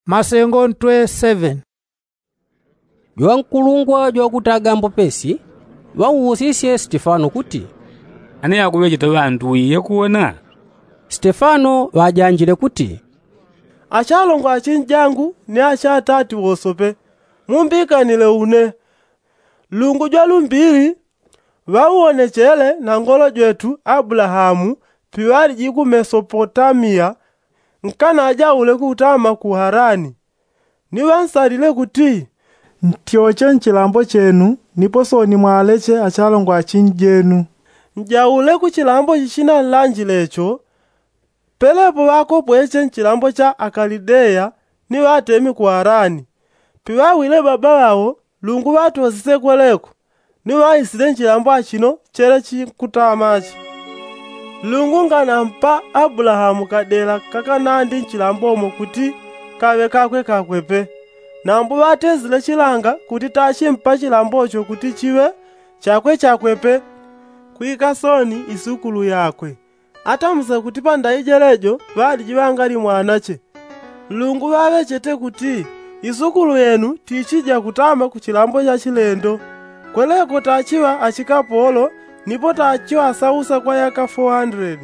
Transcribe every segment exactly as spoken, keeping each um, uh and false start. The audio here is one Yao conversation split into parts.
Masengo ntwe seven. Jwankulungwa jwakutaga mbopesi ŵauusisye stefano kuti, ane yakuŵecheta ŵantu iye kuwona? Stefano ŵajanjile kuti, achalongwa achinjangu ni achatati wosope, mumbikanile une. Lungu jwalumbili ŵauwonechele na ngolo jwetu abulahamu piŵaliji ku mesopotamiya, nkanajaule kutama ku harani. Ni ŵansalile kuti, ntyoche nchilambo chenu, nipo sooni mwaleche achalongwa achinjenu. Njaule ku chilambo chichinanlanjile cho. Pelepo ŵakopweche nchilambo cha akalideya ni ŵatemi ku harani. Piŵawile baba ŵao lungu ŵatosise kweleko, ni ŵaisile nchilambo achino chele chinkutamachi. Lungu nganampa abulahamu kadela kakanandi nchilambomo kuti kaŵe kakwe kakwe pe. Nambo ŵatesile chilanga kuti tachimpa chilambocho kuti chiŵe chakwe chakwe pe, kwika sooni isukulu yakwe. Atamuse kuti pandaijelejo ŵaliji ŵangali mwanache. Nlungu ŵaŵechete kuti isukulu yenu tichija kutama ku chilambo cha chilendo. Kweleko tachiŵa achikapolo nipo tachiŵasausa kwa yaka four hundred.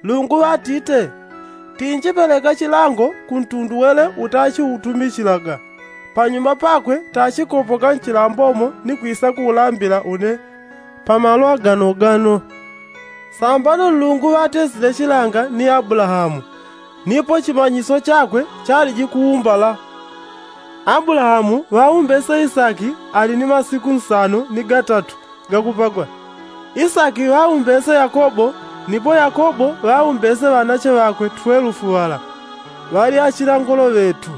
Nlungu ŵatite, tinjipeleka chilango ku ntundu wele utachiutumichilaga. Panyuma pakwe tachikopoka nchilambomo ni kwisa kuulambila une pamalo aganogano. Sambano nlungu ŵatesile chilanga ni abulahamu, nipo chimanyiso chakwe chaliji kuumbala. Abulahamu ŵaumbese isaki ali ni masiku nsano ni gatatu gakupagwa. Isaki ŵaumbese yakobo, nipo yakobo ŵaumbese ŵanache ŵakwe twelufu ŵala, ŵali achinangolo ŵetu.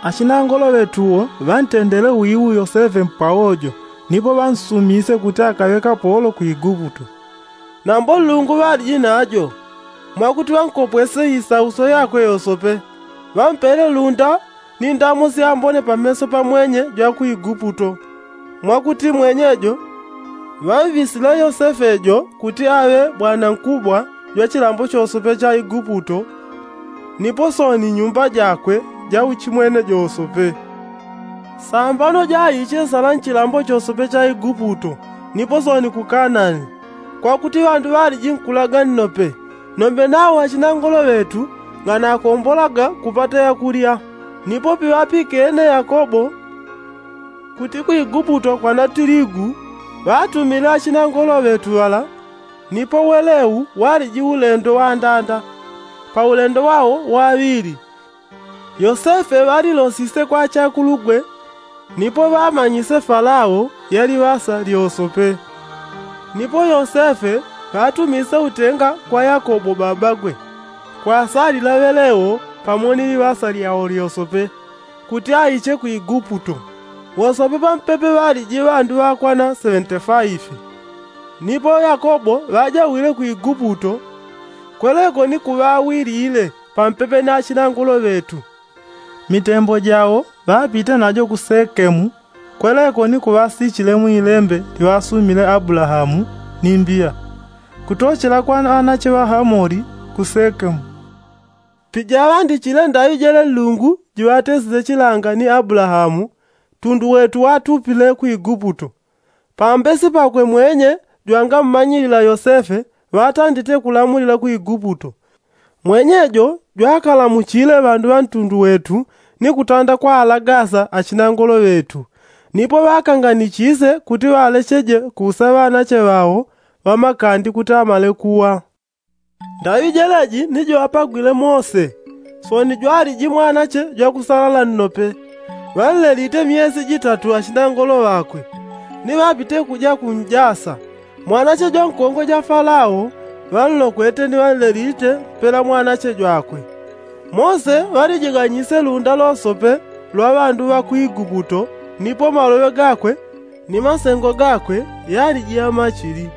Achinangolo ŵetuwo ŵantendele wiu yosefe mpawojo, nipo ŵansumise kuti akaŵe kapolo ku iguputo. Nambo nlungu ŵaliji najo, mwakuti ŵankopwese isauso yakwe yosope, ŵampele lunda ni ndamo syambone pameso pa mwenye jwa ku iguputo. Mwakuti mwenyejo ŵamvisile yosefe jo kuti aŵe bwanankubwa jwa chilambo chosope cha iguputo, nipo sooni nyumba jakwe ja uchimwene josope. Sambano jaiche nsala nchilambo chosope cha iguputo nipo sooni ku kanani, kwakuti ŵandu ŵaliji nkulaga nnope. Nombe nawo achinangolo ŵetu nganakombolaga kupata yakulya. Nipo piŵapikene yakobo kuti ku iguputo kwana tiligu, ŵatumile achinangolo ŵetu ŵala. Nipo weleu waliji ulendo wandanda. Pa ulendo wao waŵili yosefe ŵalilosise kwa achakulugwe, nipo ŵamanyise falao yali ŵasa lyosope. Nipo yosefe ŵatumise utenga kwa yakobo babagwe, kwasalila ŵeleo pamo ni liŵasa lyao lyosope, kuti aiche ku iguputo. Wosope pampepe ŵaliji ŵandu ŵakwana seŵente faifi. Nipo yakobo ŵajawile ku iguputo, kweleko ni kuŵawilile pampepe ni achinangolo ŵetu. Mitembo jao ŵapite najo ku sekemu, kweleko ni kuŵasichile mwilembe liŵasumile abulahamu ni mbiya, kutochela kwa ŵanache ŵa hamoli ku sekemu. Pijaŵandichile ndaŵi jele nlungu jiŵatesile chilanga ni abulahamu, tundu wetu watupile ku iguputo. Pambesi pakwe mwenye jwangammanyilila yosefe ŵatandite kulamulila ku iguputo. Mwenye jo jwakalamuchile ŵandu ŵa ntundu wetu ni kutanda kwaalagasa achinangolo ŵetu. Nipo ŵakanganichise kuti ŵalecheje kuusa ŵanache ŵao ŵamakandi kuti amale kuwa. Ndaŵi jeleji ni joapagwile mose, sooni jwaliji mwanache jwakusalala nnope. Ŵanlelite myesi jitatu achinangolo ŵakwe, ni ŵapite kuja kunjasa. Mwanache jwankongwe ja falao ŵanlokwete ni ŵanlelite mpela mwanache jwakwe. Mose ŵalijiganyise lunda losope lwa ŵandu ŵa ku iguputo, nipo maloŵe gakwe ni masengo gakwe yaliji yamachili.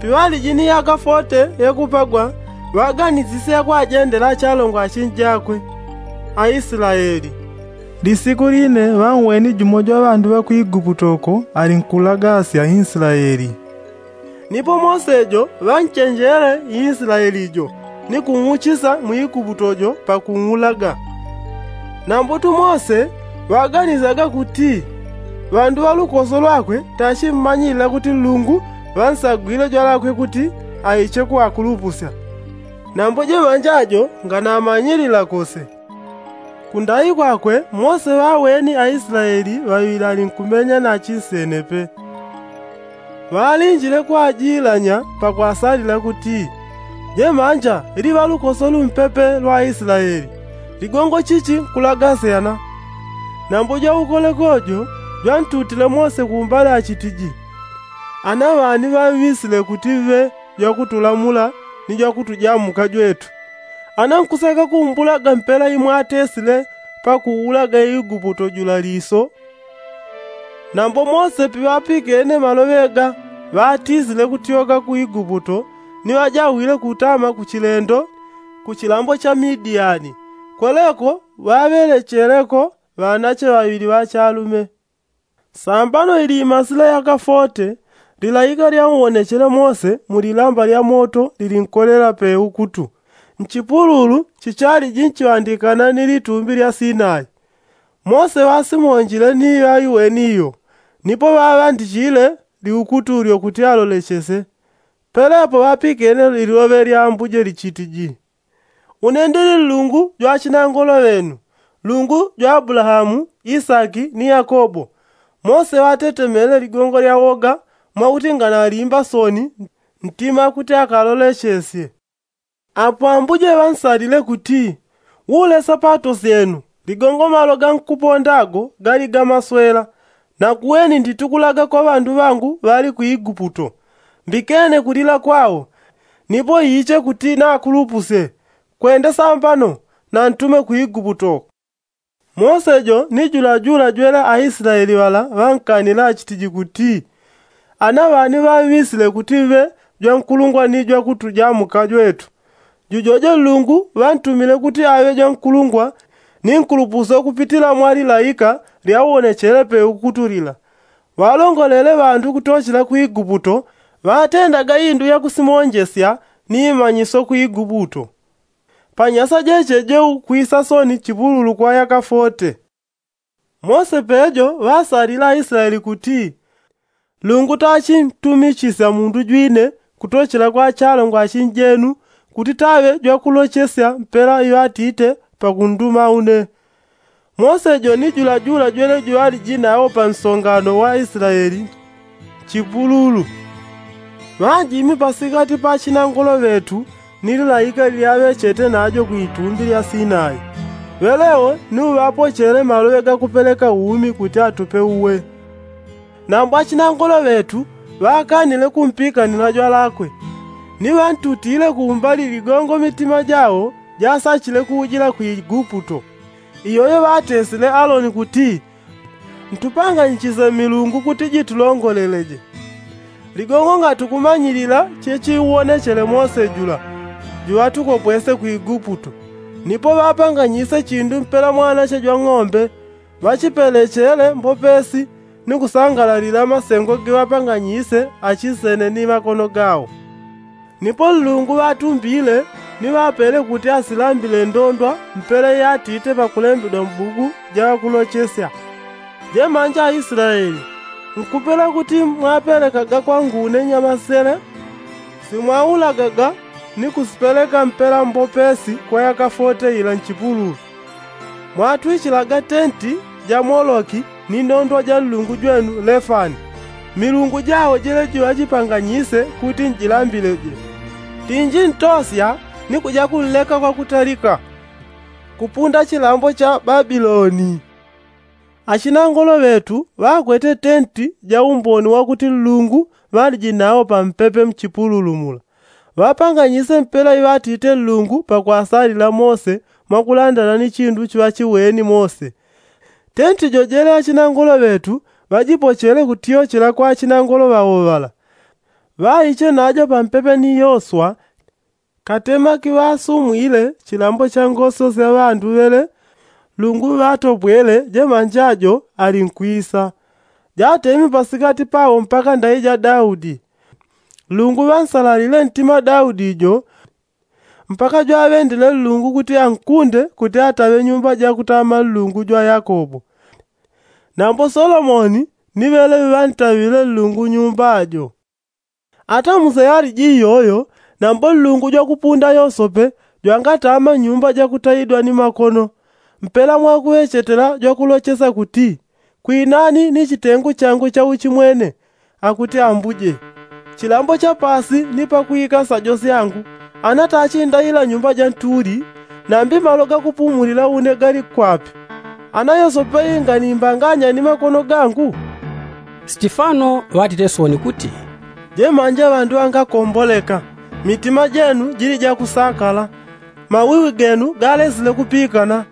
Piŵaliji ni yaka fote yakupagwa ŵaganisisye kwajendela achalongwa achinjakwe, aislaeli. Lisiku line ŵanweni jumo jwa ŵandu ŵa ku iguputo ko alinkulagasya inslaeli. Nipo mose jo ŵanchenjele inslaeli jo ni kung'uchisa mu iguputo jo pakung'ulaga. Nambutu mose ŵaganisaga kuti ŵandu ŵa lukoso lwakwe tachimmanyilila kuti nlungu ŵansagwile jwalakwe kuti aiche kuŵakulupusya. Nambo jeŵanja jo nganamanyilila kose. Kundai kwakwe mose ŵaweni aislaeli ŵaŵili alinkumenya na chinsene pe. Ŵalinjile kwajilanya pakwasalila kuti, jemanja ili ŵa lukoso lumpepe lwa aislaeli, ligongo chichi nkulagasyana. Nambo jwaukoleko jo jwantutile mose kumbali achitiji, ana ŵani ŵamŵisile kuti ŵe jwakutulamula ni jwakutujamuka jwetu? Ana nkuseka kumbulaga mpela imwatesile pakuulaga iguputo jula liso? Nambo mose piŵapikene maloŵe ga ŵatisile kutyoka ku iguputo, ni ŵajawile kutama kuchilendo kuchilambo cha midiyani. Kweleko ŵaŵelecheleko ŵanache ŵaŵili ŵachalume. Sambano ili imasila yaka fote, lilaika lyauwonechele mose mu lilamba lya moto lilinkolela pe ukutu nchipululu chichaliji nchiŵandikana ni litumbi lya sinai. Mose ŵasimonjile ni ŵaiweni iyo, nipo ŵaŵandichile liukutu lyo kuti alolechese. Pelepo ŵapikene liloŵe lya ambuje lichitiji, une ndili nlungu jwa achinangolo ŵenu, nlungu jwa abulahamu, isaki ni yakobo. Mose ŵatetemele ligongo lya woga mwakuti nganalimba soni ntima kuti akalolechesye. Apo ambuje ŵansalile kuti, ulesa pato syenu ligongo malo gankuponda ago gali ga maswela. Nakuweni nditukulaga kwa ŵandu ŵangu ŵali ku iguputo, mbikene kulila kwao, nipo iche kuti nakulupusye. Kwende sambano nantume ku iguputo. Mose jo ni julajula jwele aislaeli ŵala ŵankanile achitiji kuti, ana ŵani ŵamŵisile kuti ŵe jwankulungwa ni jwakutujamuka jwetu? Jujojo nlungu ŵantumile kuti aŵe jwankulungwa ni nkulupusyo kupitila mwa lilaika lyauwonechele pe ukutu lila. Ŵalongolele ŵandu kutochela ku iguputo, ŵatendaga indu yakusimonjesya ni imanyisyo ku iguputo. Panyasa jeche je ukwisa soni chipululu kwa yaka fote. Mose pejo ŵasalile aislaeli kuti, nlungu tachintumichisya mundu jwine kutochela kwa achalongwa achinjenu, kuti taŵe jwakulochesya mpela iŵatite pakunduma une. Mose jo ni julajula jwele juŵaliji nawo pa nsongano wa aislaeli nchipululu, ŵanjimi pasikati pa achinangolo ŵetu ni lilaika lilyaŵechete najo ku itumbi lya sinai. Ŵelewo ni uŵapochele maloŵe gakupeleka umi kuti atupe uwe. Nambo achinangolo ŵetu ŵakanile kumpikanila jwalakwe, ni ŵantutile kumbali ligongo mitima jao jasachile kuujila ku iguputo. Iyoyo ŵatesile aloni kuti, ntupanganyichise milungu kuti jitulongoleleje. Ligongo ngatukumanyilila chechiuwonechele mose jula juŵatukopwese ku iguputo. Nipo ŵapanganyise chindu mpela mwanache jwang'ombe, ŵachipelechele mbopesi ni kusangalalila masengo giŵapanganyise achinsene ni makono gao. Nipo nlungu ŵatumbile ni ŵapele kuti asilambile ndondwa mpela iyatite pakulembedwa mbuku ja ŵakulochesya. Jemanja aislaeli, nkupela kuti mwapelekaga kwangu une nyamasele? Simwaulagaga ni kusipeleka mpela mbopesi kwa yaka fote ila nchipululu. Mwatwichilaga tenti ja moloki ni ndondwa ja nlungu jwenu lefani, milungu jao jele jiŵajipanganyise kuti njilambileje. Tinji ntosya ni kuja kunleka kwakutalika kupunda chilambo cha babiloni. Achinangolo ŵetu ŵakwete tenti ja umboni wakuti nlungu ŵaliji nawo pampepe mchipululu mula. Ŵapanganyise mpela iŵatite nlungu pakwasalila mose mwakulandana ni chindu chiŵachiweni mose. Tenti jojele achinangolo ŵetu ŵajipochele kutyochela kwa achinangolo ŵao ŵala. Ŵaiche najo pampepe ni yoswa. Katema kiŵasumwile chilambo cha ngoso sya ŵandu ŵele, nlungu ŵatopwele jemanja jo ali nkwisa. Jatemi pasikati pao mpaka ndai ja daudi. Nlungu ŵansalalile ntima daudi jo. mpaka jwaŵendile nlungu kuti ankunde kuti ataŵe nyumba jakutama nlungu jwa yakobo. Nambo solomoni ni ŵeleŵe ŵantaŵile nlungu nyumba jo. Ata muse yaliji iyoyo, nambo nlungu jwakupunda yosope jwangatama nyumba jakutaidwa ni makono. Mpela mwakuŵechetela jwakulochesa kuti, kwinani ni chitengu changu cha uchimwene, akuti ambuje. Chilambo cha pasi ni pakwika sajo syangu, anatachindaila nyumba ja ntuli, nambi malo gakupumulila une gali kwapi? Anayosope inga nimbanganya ni makono gangu? Sitifano ŵatite soni kuti, jemanja ŵandu ŵangakomboleka, mitima jenu jili jakusakala, mawiwi genu galesile kupikana.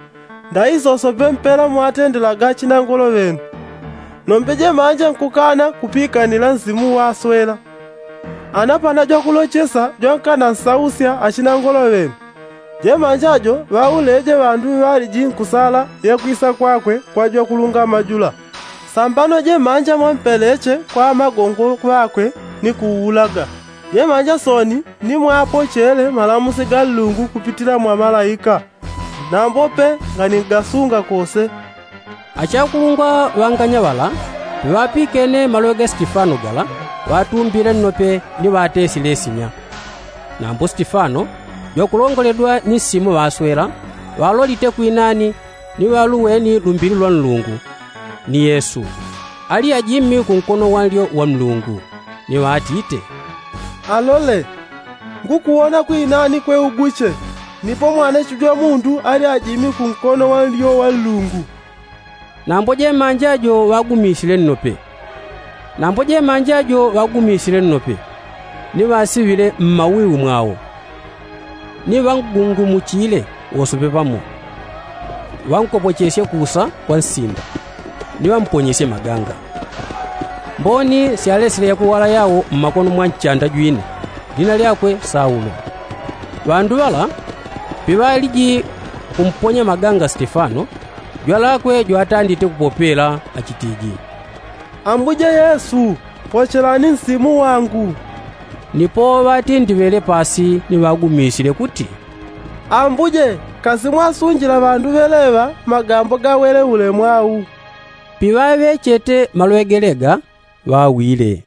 Ndaisosope mpela mwatendelaga achinangolo ŵenu. Nombe jemanja nkukana kupikanila nsimu waswela. Anapana jwakulochesa jwankana nsausya achinangolo ŵenu. Jemanja jo ŵauleje ŵandu ŵaliji nkusala yakwisa kwakwe kwa jwakulungama jula. Sambano jemanja mwampeleche kwa amagongo ŵakwe ni kuulaga. Jemanja soni ni mwaapochele malamusi ga nlungu kupitila mwa malaika. Nambope nganigasunga kose. Achakulungwa ŵanganya ŵala piŵapikene maloŵe ga sitifano gala, ŵatumbile nnope ni ŵatesile sinya. Nambo sitifano jwakulongoledwa ni nsimu ŵaswela, ŵalolite kwinani ni ŵaluweni lumbili lwa nlungu, ni yesu ali ajimi kunkono wanlyo wa nlungu, ni ŵatite, alole, ngukuwona kwinani kwe uguche, nipo mwanecho jwa mundu ali ajimi kunkono wanlyo wa nlungu. Nambo jemanja jo ŵagumisile nnope. Nambo jemanja jo ŵagumisile nnope, ni ŵasiŵile mmawiwi mwao, ni ŵangungumuchile wosope pamo. Ŵankopochesye kusa kwa nsinda, ni ŵamponyesye maganga. Mboni syalesile yakuwala yao mmakono mwa nchanda jwine, lina lyakwe saulo. Ŵandu ŵala piŵaliji kumponya maganga stefano, jwalakwe jwatandite kupopela achitiji, ambuje yesu, pochelani nsimu wangu. Nipo ŵatindiŵele pasi ni ŵagumisile kuti, ambuje, kasi mwasunjila ŵandu ŵeleŵa magambo gawele ulemu au? Piŵaŵechete malwegele ga, ŵawile.